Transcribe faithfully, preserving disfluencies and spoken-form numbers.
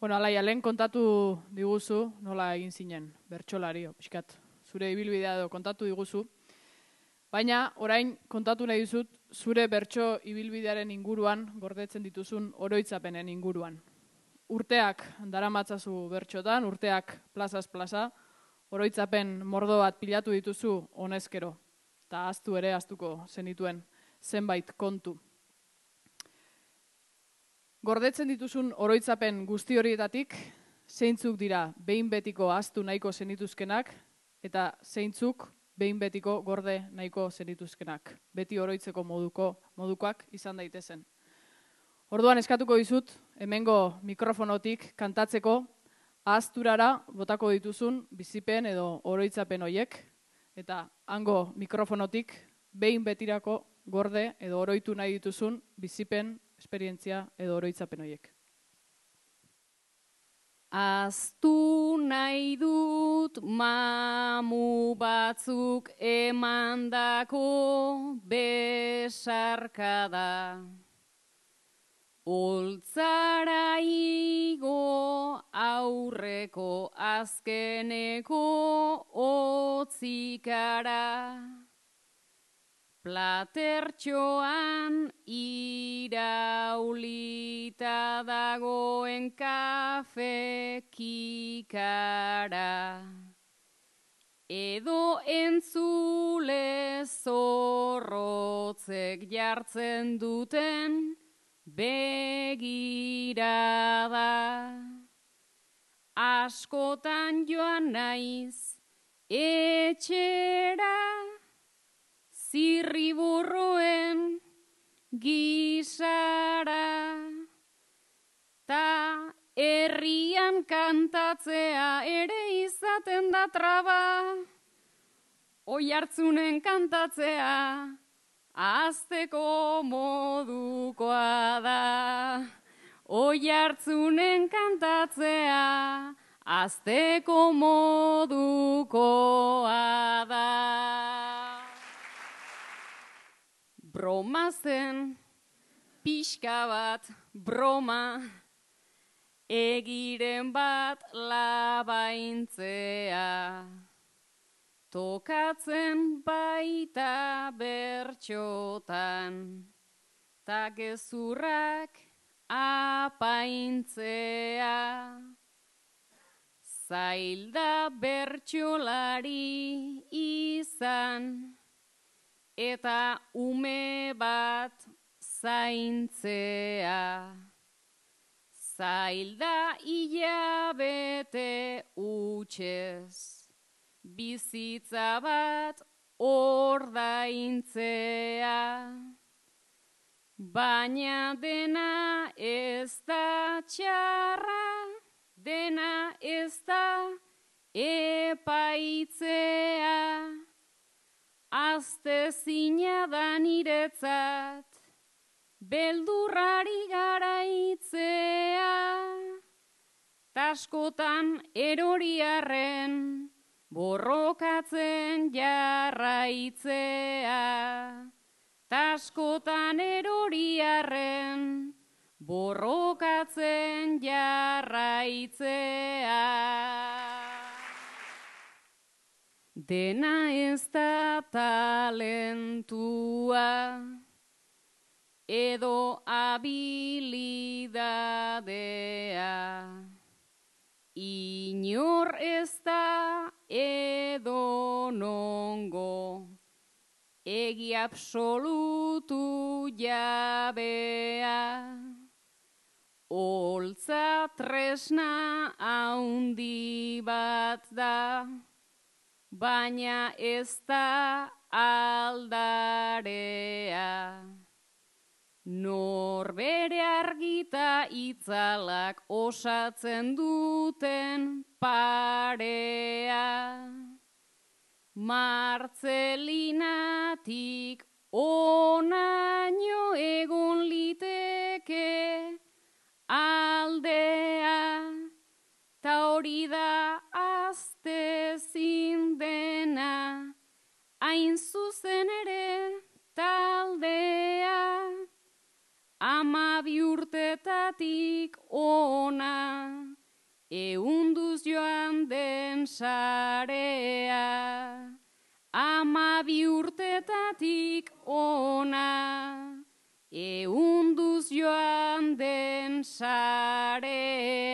Bueno, Alaia, lehen kontatu diguzu, nola egin zinen, bertsolari, pixkat, zure ibilbidea edo kontatu diguzu. Baina, orain kontatu nahi dizut, zure bertso ibilbidearen inguruan, gordetzen dituzun oroitzapenen inguruan. Urteak daramatzazu bertxotan, urteak plazaz plaza, oroitzapen mordo bat pilatu dituzu honezkero, eta ahaztu ere ahaztuko zenituen zenbait kontu. Gordetzen dituzun oroitzapen guzti horietatik, zeintzuk dira behin betiko ahaztu nahiko zenituzkenak, eta zeintzuk behin betiko gorde nahiko zenituzkenak, beti oroitzeko moduko modukoak izan daitezen. Orduan eskatuko dizut, hemengo mikrofonotik kantatzeko, ahazturara botako dituzun bizipen edo oroitzapen hoiek, eta hango mikrofonotik behin betirako gorde edo oroitu nahi dituzun bizipen, esperientzia edo oroitzapen hoiek. Ahaztu nahi dut mamu batzuk emandako besarkada. Oltzara igo aurreko azkeneko otzikara. Platertxoan iraulita dagoen kafe kikara. Edo entzule zorrotzek jartzen duten begirada. Askotan joan naiz etxera, zirriburruen gisara, ta herrian kantatzea ere izaten da traba, oihartzunen kantatzea ahazteko modukoa da. Oihartzunen kantatzea ahazteko modukoa da. Broma zen, pixka bat broma, egiren bat labaintzea. Tokatzen baita bertxotan, ta gezurrak apaintzea. Zailda bertxolari izan, eta ume bat zaintzea. Zailda hilabete utxez, bizitza bat ordaintzea. Baina dena ez da txarra, dena ez da epaitzea. Aztezina da niretzat, beldurrari garaitzea. Taskotan eroriarren, borrokatzen jarraitzea. Taskotan eroriarren, borrokatzen jarraitzea. Dena ez da talentua, edo habilidadea. Inor ez da edo nongo, egi absolutu jabea. Oltza tresna haundi bat da, baina ez da aldarea. Norbere argita itzalak osatzen duten parea. Martzelinatik onaino egon liteke aldea, ta hori da aztezin dena, hain zuzen ere taldea. Ama bi urtetatik ona, sarea, amabi urtetatik ona, eunduz joan den sarea.